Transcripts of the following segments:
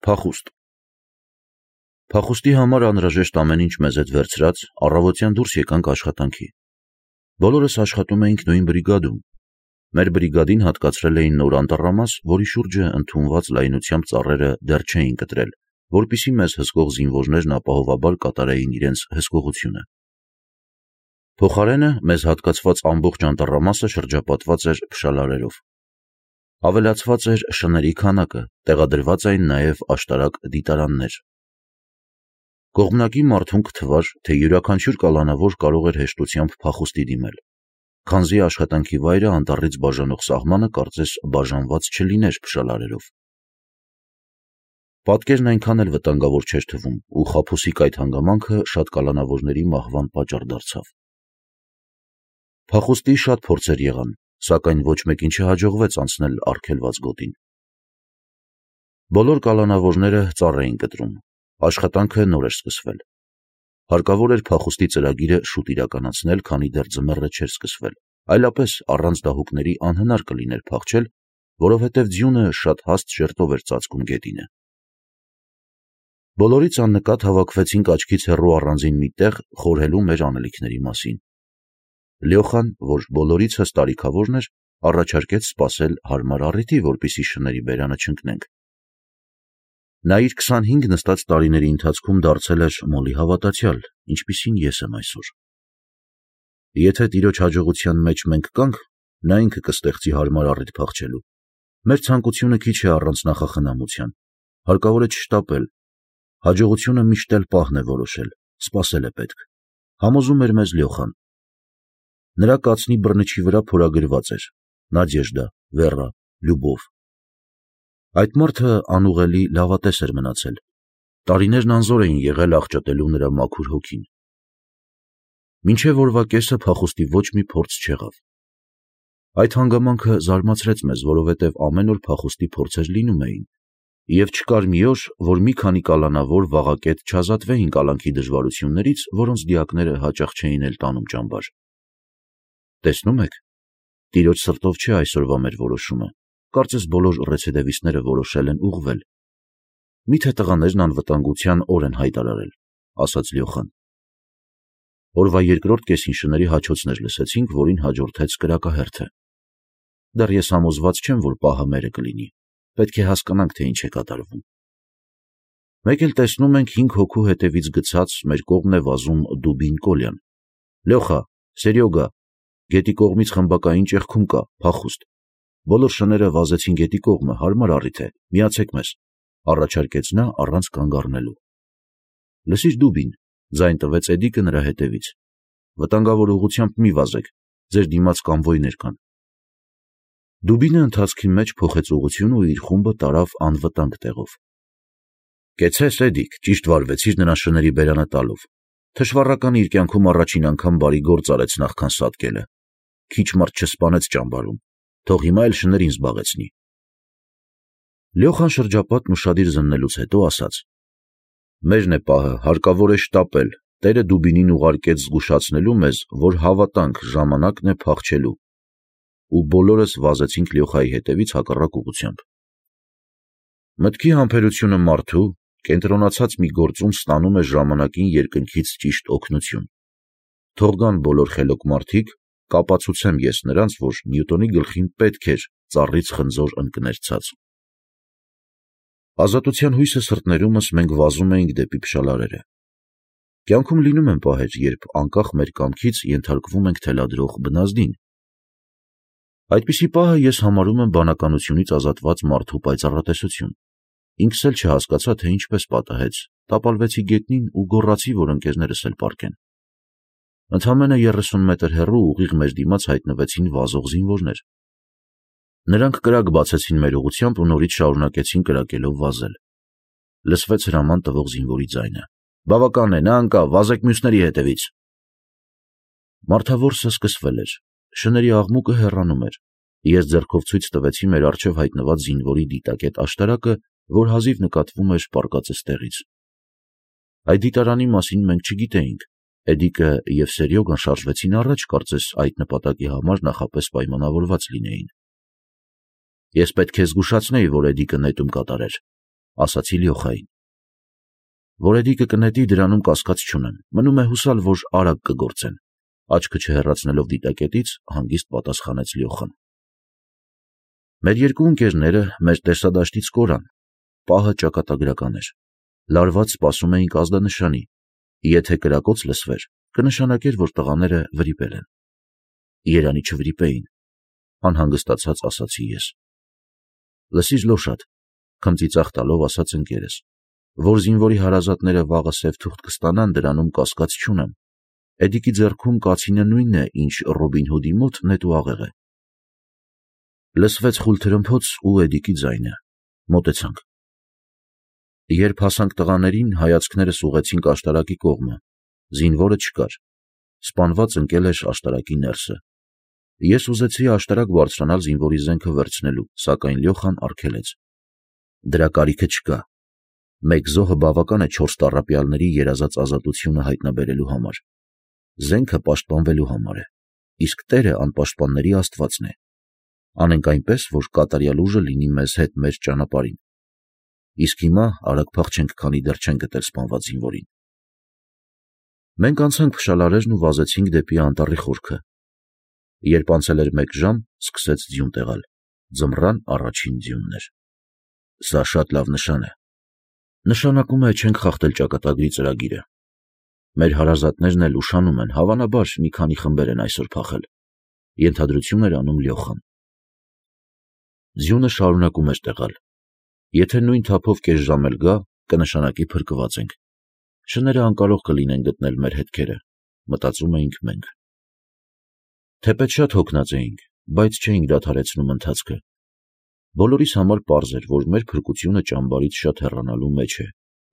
Փախուստ Փախուստի համար անհրաժեշտ ամեն ինչ մեզ հետ վերցրած, առավոտյան դուրս եկանք աշխատանքի։ Բոլորս աշխատում էինք նույն բրիգադում։ Մեր բրիգադին հատկացրել էին նոր անտառամաս, որի շուրջը ընդունված լայնությամբ ծառերը դեռ չէին կտրել, որպեսզի մեզ հսկող զինվորներն ապահովաբար կատարեին իրենց հսկողությունը։ Փոխարենը մեզ հատկացված ամբողջ անտառամասը շրջապատված էր փշալարերով։ Ավելացված էր շների քանակը, տեղադրված էին նաև աշտարակ դիտարաններ։ Կողմնակի մարդուն կթվար, թե յուրաքանչյուր կալանավոր կարող էր հեշտությամբ փախուստի դիմել, քանզի աշխատանքի վայրը անտառից բաժանող սահմանը կարծես բաժանված չլիներ փշալարերով։ Պատկերն այնքան էլ վտանգավոր չէր թվում, ու խաբուսիկ այդ հանգամանքը շատ կալանավորների մահվան պատճառ դարձավ։ Փախուստի շատ փորձեր եղան, սակայն ոչ մեկին չհաջողվեց անցնել արգելված գոտին։ Բոլոր կալանավորները ծառ էին կտրում, աշխատանքը նոր էր սկսվել։ Հարկավոր էր փախուստի ծրագիրը շուտ իրականացնել, քանի դեռ ձմեռը չէր սկսվել, այլապես առանց դահուկների անհնար կլիներ փախչել, որովհետև ձյունը շատ հաստ շերտով էր ծածկում գետինը։ Բոլորից աննկատ հավաքվեցինք աչքից հեռու առանձին մի տեղ խորհելու մեր անելիքների մասին։ Լյոխան, որ բոլորիցս տարիքավորն էր, առաջարկեց սպասել հարմար առիթի, որպեսզի շների բերանը չընկնենք։ Նա իր 25 նստած տարիների ընթացքում դարձել էր մոլի հավատացյալ, ինչպիսին ես եմ այսօր։ Եթե տիրոջ հաջողության մեջ մենք կանք, նա ինքը կստեղծի հարմար առիթ փախչելու։ Մեր ցանկությունը քիչ է առանց նախախնամության, հարկավոր է չշտապել։ Հաջողությունը միշտ էլ պահն է որոշել, սպասել է պետք, համոզում էր մեզ Լյոխան։ Նրա կացնի բռնչի վրա փորագրված էր Նադեժդա, Վերա, Լյուբով։ Այդ մարդը անուղելի լավատես էր մնացել։ Տարիներն անզոր էին եղել աղճատելու նրա մաքուր հոգին։ Մինչև օրվա կեսը փախուստի ոչ մի փորձ չեղավ։ Այդ հանգամանքը զարմացրեց մեզ, որովհետև ամեն օր փախուստի փորձեր լինում էին, և չկար մի օր, որ մի քանի կալանավոր վաղակետ չազատվեին կալանքի դժվարություններից, որոնց դիակները հաճախ չէին էլ տանում ճամբար։ Տեսնում եք, տիրոջ սրտով չէ այսօրվա մեր որոշումը, կարծես բոլոր ռեցեդևիստները որոշել են ուղղվել։ Միթե տղաներն անվտանգության օր են հայտարարել, ասաց Լյոխան։ Օրվա երկրորդ կեսին շների հաչոցներ լսեցինք, որին հաջորդեց կրակահերթը։ Դեռ ես համոզված չեմ, որ պահը մերը կլինի, պետք է հասկանանք, թե ինչ է կատարվում։ Մեկ էլ տեսնում ենք 5 հոգու հետևից գցած մեր կողմն է վազում Դուբին Կոլյան։ Լյոխա, Սերյոգա, գետի կողմից խմբակային ճեղքում կա, փախուստ։ Բոլոր շները վազեցին գետի կողմը, հարմար առիթ է, միացեք մեզ, առաջարկեց նա առանց կանգ առնելու։ Լսիր Դուբին, ձայն տվեց Էդիկը նրա հետևից։ Վտանգավոր ուղղությամբ մի վազեք, ձեր դիմաց կամվոյներ կան։ Դուբինը ընթացքի մեջ փոխեց ուղղություն ու իր խումբը տարավ անվտանգ տեղով։ Կեցես Էդիկ, ճիշտ վարվեցիր նրան շների բերանը տալով։ Թշվառականը իր կյանքում առաջին անգամ բարի գործ արեց նախքան սատկելը։ Քիչ մարդ չսպանեց ճամբարում, թող հիմա էլ շներին զբաղեցնի։ Լյոխան շրջապատն ուշադիր զննելուց հետո ասաց. Մերն է պահը, հարկավոր է շտապել, Տերը Դուբինին ուղարկեց զգուշացնելու մեզ, որ հավատանք, ժամանակն է փախչելու։ Ու բոլորս վազեցինք Լյոխայի հետևից հակառակ ուղղությամբ։ Մտքի համբերությունը մարդու կենտրոնացած մի գործում ստանում է ժամանակին երկնքից ճիշտ օգնություն։ Թող գան բոլոր խելոք մարդիկ, կապացուցեմ ես նրանց, որ Նյուտոնի գլխին պետք էր ծառից խնձոր ընկներ ցած։ Ազատության հույսը սրտներումս մենք վազում էինք դեպի փշալարերը։ Կյանքում լինում են պահեր, երբ անկախ մեր կամքից ենթարկվում ենք թելադրող բնազդին։ Այդպիսի պահը ես համարում եմ բանականությունից ազատված մարդու պայծառատեսություն։ Ինքս էլ չհասկացա, թե ինչպես պատահեց, տապալվեցի գետնին ու գոռացի, որ ընկերներս էլ պառկեն։ Ընդամենը 30 մետր հեռու ուղիղ մեր դիմաց հայտնվեցին վազող զինվորներ։ Նրանք կրակ բացեցին մեր ուղղությամբ ու նորից շարունակեցին կրակելով վազել։ Լսվեց հրաման տվող զինվորի ձայնը. Բավական է, նա անկա, վազեք մյուսների հետևից։ Մարդավորսը սկսվել էր, շների աղմուկը հեռանում էր։ Ես ձեռքով ցույց տվեցի մեր առջև հայտնված զինվորի դիտակետ աշտարակը, որ հազիվ նկատվում էր պառկած տեղից։ Այդ դիտարանի մասին մենք չգիտեինք։ Էդիկը և Սերյոգան շարժվեցին առաջ, կարծես այդ նպատակի համար նախապես պայմանավորված լինեին։ Ես պետք է զգուշացնեի, որ Էդիկը նետում կատարեր։ ասացի Լյոխային։ Որ էդիկը կնետի, դրանում կասկած չունեմ, մնում է հուսալ, որ արագ կգործեն, աչքը չհեռացնելով դիտակետից, հանգիստ պատասխանեց Լյոխան։ Մեր երկու ընկերները մեր տեսադաշտից կորան, պահը ճակատագրական էր, լարված սպասում էինք ազդանշանի, եթե կրակոց լսվեր, կնշանակեր, որ տղաները վրիպել են։ Երանի չվրիպեին, անհանգստացած ասացի ես։ Լսիր Լոշադ, քմծիծաղ տալով ասաց ընկերս, որ զինվորի հարազատները վաղը սև թուղթ կստանան, դրանում կասկած չունեմ։ Էդիկի ձեռքում կացինը նույնն է, ինչ Ռոբին Հուդի մոտ նետու աղեղ է։ Լսվեց խուլ թրմփոց ու Էդիկի ձայնը։ Մոտեցանք։ Երբ հասանք տղաներին, հայացքներս ուղղեցինք աշտարակի կողմը։ Զինվորը չկար։ Սպանված ընկել էր աշտարակի ներսը։ Ես ուզեցի աշտարակ բարձրանալ զինվորի զենքը վերցնելու, սակայն Լյոխան արգելեց։ Դրա կարիքը չկա։ Մեկ զոհը բավական է 4 տառապյալների երազած ազատությունը հայտնաբերելու համար։ Զենքը պաշտպանվելու համար է, իսկ Տերը անպաշտպանների Աստվածն է։ Անենք այնպես, որ կատարյալ ուժը լինի մեզ հետ մեր ճանապարհին։ Իսկ հիմա արագ փախչենք, քանի դեռ չեն գտել սպանված զինվորին։ Մենք անցանք փշալարերն ու վազեցինք դեպի անտառի խորքը։ Երբ անցել էր 1 ժամ, սկսեց ձյուն տեղալ։ Ձմռան առաջին ձյունն էր։ Սա շատ լավ նշան է։ Նշանակում է չենք խախտել ճակատագրի ծրագիրը։ Մեր հարազատներն էլ ուշանում են, հավանաբար մի քանի խմբեր են այսօր փախել։ Ենթադրություն էր անում Լյոխան։ Ձյունը շարունակում էր տեղալ։ Եթե նույն թափով կես ժամ էլ գա, կնշանակի փրկված ենք։ Շները անկարող կլինեն գտնել մեր հետքերը, մտածում էինք մենք։ Թեպետ շատ հոգնած էինք, բայց չէինք դադարեցնում ընթացքը։ Բոլորիս համար պարզ էր, որ մեր փրկությունը ճամբարից շատ հեռանալու մեջ է,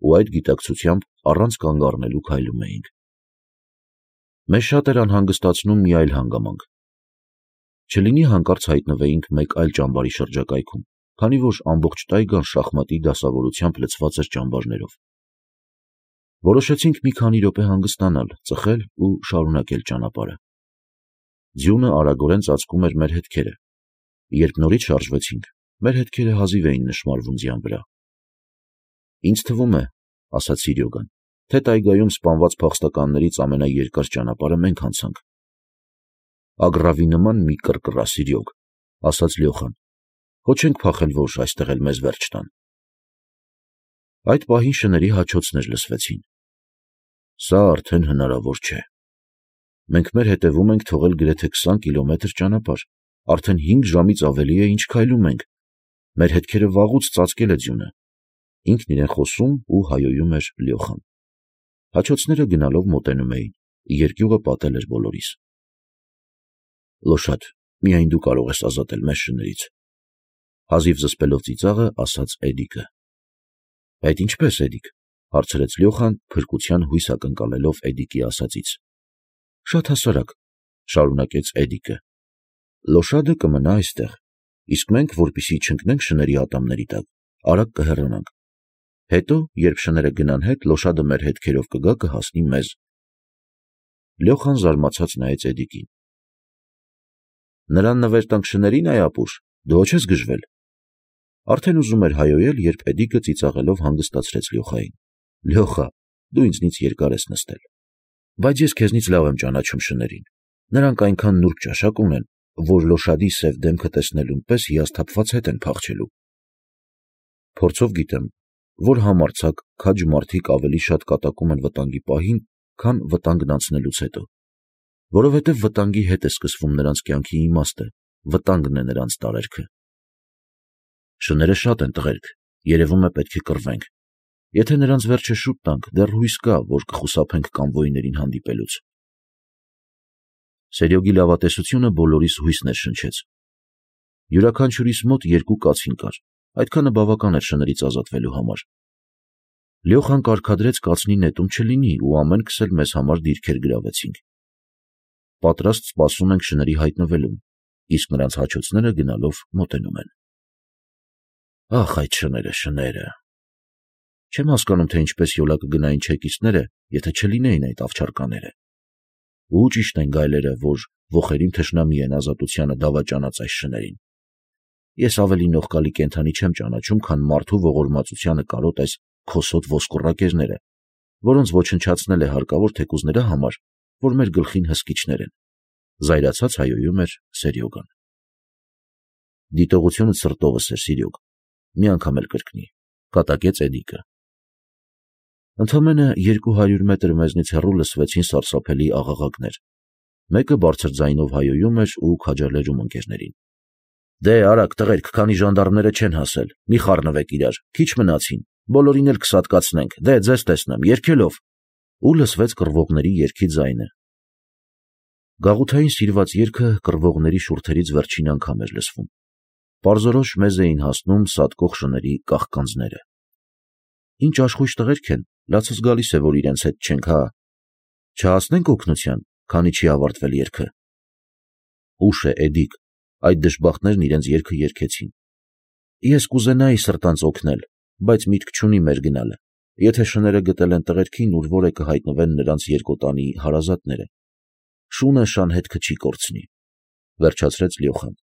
ու այդ գիտակցությամբ առանց կանգ առնելու քայլում էինք։ Մեզ շատ էր անհանգստացնում մի այլ հանգամանք։ Չլինի հանկարծ հայտնվեինք մեկ այլ ճամբարի շրջակայքում, քանի որ ամբողջ տայգան շախմատի դասավորությամբ լցված էր ճամբարներով։ Որոշեցինք մի քանի րոպե հանգստանալ, ծխել ու շարունակել ճանապարհը։ Ձյունը արագորեն ծածկում էր մեր հետքերը։ Երբ նորից շարժվեցինք, մեր հետքերը հազիվ էին նշմարվում ձյան վրա։ Ինձ թվում է, ասաց Սիրյոգան, թե տայգայում սպանված փախստականներից ամենաերկար ճանապարհը մենք անցանք։ Ագրավի նման մի կռկռա, Սիրյոգ, ասաց Լյոխան։ Հո չենք փախել, որ այստեղ էլ մեզ վերջ տան։ Այդ պահին շների հաչոցներ լսվեցին։ Սա արդեն հնարավոր չէ։ Մենք մեր հետևում ենք թողել գրեթե 20 կիլոմետր ճանապարհ, արդեն 5 ժամից ավելի է, ինչ քայլում ենք։ Մեր հետքերը վաղուց ծածկել է ձյունը։ Ինքն իրեն խոսում ու հայոյում էր Լյոխան։ Հաչոցները գնալով մոտենում էին, երկյուղը պատել էր բոլորիս։ Լոշադ, միայն դու կարող ես ազատել մեզ շներից, հազիվ զսպելով ծիծաղը, ասաց Էդիկը։ Այդ ինչպես, Էդիկ, հարցրեց Լյոխան, փրկության հույս ակնկալելով Էդիկի ասածից։ Շատ հասարակ, շարունակեց Էդիկը։ Լոշադը կմնա այստեղ, իսկ մենք, որպեսզի չընկնենք շների ատամների տակ, արագ կհեռանանք։ Հետո, երբ շները գնան հետ, Լոշադը մեր հետքերով կգա, կհասնի մեզ։ Լյոխան զարմացած նայեց Էդիկին։ Նրան նվեր տանք շներին, այ ապուշ, դու ոչ ես գժվել։ Արդեն ուզում էր հայոյել, երբ Էդիկը ծիծաղելով հանգստացրեց Լյոխային։ Լյոխա, դու ինձնից երկար ես նստել։ Բայց ես քեզնից լավ եմ ճանաչում շներին։ Նրանք այնքան նուրբ ճաշակ ունեն, որ Լոշադի սև դեմքը տեսնելուն պես հիասթափված հետ են փախչելու։ Փորձով գիտեմ, որ համարձակ, քաջ մարդիկ ավելի շատ կատակում են վտանգի պահին, քան վտանգն անցնելուց հետո։ Որովհետև վտանգի հետ է սկսվում նրանց կյանքի իմաստը, վտանգն է նրանց տարերքը։ Շները շատ են տղերք, երևում է պետք է կռվենք։ Եթե նրանց վերջը շուտ տանք, դեռ հույս կա, որ կխուսափենք կամվոյներին հանդիպելուց։ Սերյոգի լավատեսությունը բոլորիս հույս ներշնչեց։ Յուրաքանչյուրիս մոտ 2 կացին կար, այդքանը բավական էր շներից ազատվելու համար։ Լյոխան կարգադրեց կացնի նետում չլինի ու ամենքս էլ մեզ համար դիրքեր գրավեցինք։ Պատրաստ սպասում ենք շների հայտնվելուն, իսկ նրանց հաչոցները գնալով մոտենում են։ Ախ, այդ շները։ Չեմ հասկանում, թե ինչպես յոլա կգնային չեկիստները, եթե չլինեին այդ ավչարկաները։ Ու ճիշտ են գայլերը, որ ոխերիմ թշնամի են ազատությանը դավաճանած այս շներին։ Ես ավելի նողկալի կենդանի չեմ ճանաչում, քան մարդու ողորմածությանը կարոտ այս քոսոտ ոսկորակերները, որոնց ոչնչացնել է հարկավոր թեկուզ նրա համար, որ մեր գլխին հսկիչներ են, զայրացած հայոյում էր Սերյոգան։ Դիտողությունը սրտովս էր, Սիրյոգ, մի անգամ էլ կրկնի, կատակեց Էդիկը։ Ընդամենը 200 մետր մեզնից հեռու լսվեցին սարսափելի աղաղակներ։ Մեկը բարձր ձայնով հայոյում էր ու քաջալերում ընկերներին։ Դե արագ տղերք, քանի ժանդարմները չեն հասել, մի խառնվեք իրար, քիչ մնացին, բոլորին էլ կսատկացնենք, դե ձեզ տեսնեմ, երգելով։ Ու լսվեց կռվողների երգի ձայնը։ Գաղութային սիրված երգը կռվողների շուրթերից վերջին անգամ էր լսվում։ Պարզորոշ մեզ էին հասնում սատկող շների կաղկանձները։ Ինչ աշխույժ տղերք են, լացս գալիս է, որ իրենց հետ չենք, հա։ Չհասնենք օգնության, քանի չի ավարտվել երգը։ Ուշ է, Էդիկ, այդ դժբախտներն իրենց երգը երգեցին։ Ես կուզենայի սրտանց օգնել, բայց միտք չունի մեր գնալը։ Եթե շները գտել են տղերքին, ուր որ է կհայտնվեն նրանց երկոտանի հարազատները։ Շունը շան հետքը չի կորցնի, վերջացրեց Լյոխան։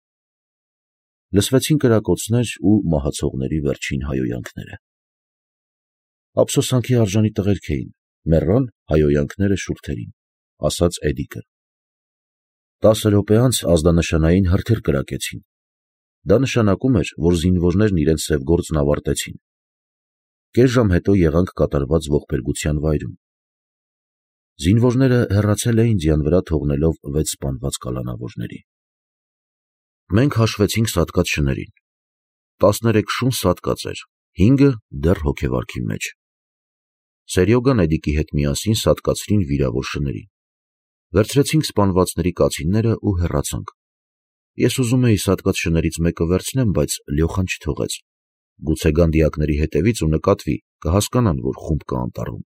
Լսվեցին կրակոցներ ու մահացողների վերջին հայոյանքները։ Ափսոսանքի արժանի տղերք էին, մեռան հայոյանքները շուրթերին, ասաց Էդիկը։ 10 րոպե անց ազդանշանային հրթիռ կրակեցին։ Դա նշանակում էր, որ զինվորներն իրենց սև գործն ավարտեցին։ Կես ժամ հետո եղանք կատարված ողբերգության վայրում։ Զինվորները հեռացել էին ձյան վրա թողնելով 6 սպանված կալանավորների։ Մենք հաշվեցինք սատկած շներին։ 13 շուն սատկած էր, 5-ը դեռ հոգեվարքի մեջ։ Սերյոգան Էդիկի հետ միասին սատկացրին վիրավոր շներին։ Վերցրեցինք սպանվածների կացինները ու հեռացանք։ Ես ուզում էի սատկած շներից մեկը վերցնեմ, բայց Լյոխան չթողեց։ Գուցե գանդիակների հետևից ու նկատվի, կհասկանան, որ խումբ կա անտառում։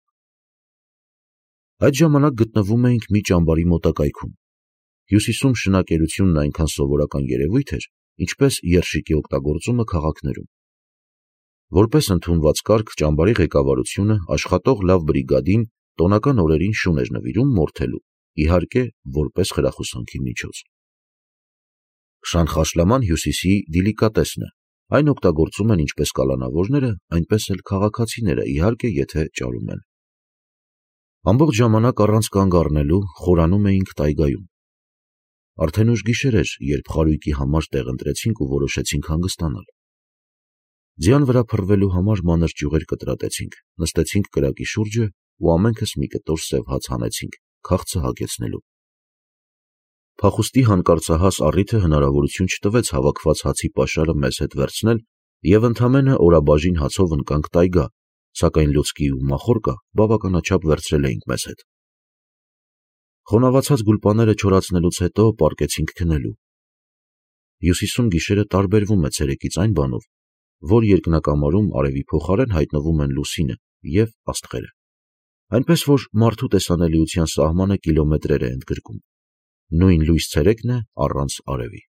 Այդ ժամանակ գտնվում էինք մի ճամբարի մոտակայքում։ Հյուսիսում շնակերությունն այնքան սովորական երևույթ էր, ինչպես երշիկի օգտագործումը քաղաքներում։ Որպես ընդունված կարգ ճամբարի ղեկավարությունը աշխատող լավ բրիգադին տոնական օրերին շուն էր նվիրում մորթելու, իհարկե, որպես խրախուսանքի միջոց։ Շանխաշլաման հյուսիսի դիլիկատեսն է, այն օգտագործում են ինչպես կալանավորները, այնպես էլ քաղաքացիները, իհարկե, եթե ճարում են։ Ամբողջ ժամանակ առանց կանգ առնելու խորանում էինք տայգայում։ Արդեն ուշ գիշեր էր, երբ խարույկի համար տեղ ընտրեցինք ու որոշեցինք հանգստանալ։ Ձյան վրա փռվելու համար մանր ճյուղեր կտրատեցինք, նստեցինք կրակի շուրջը ու ամենքս մի կտոր սև հաց հանեցինք, քաղցը հագեցնելու։ Փախուստի հանկարծահաս առիթը հնարավորություն չտվեց հավաքված հացի պաշարը մեզ հետ վերցնել և ընդամենը օրաբաժին հացով ընկանք տայգա, սակայն լուցկի ու մախորկը բավականաչափ վերցրել էինք մեզ հետ։ Խոնավացած գուլպաները չորացնելուց հետո պառկեցինք քնելու։ Հյուսիսում գիշերը տարբերվում է ցերեկից այն բանով, որ երկնակամարում արևի փոխարեն հայտնվում են լուսինը և աստղերը։ Այնպես որ մարդու տեսանելիության սահմանը կիլոմետրեր է ընդգրկում։ Նույն լույս ցերեկն է առանց արևի։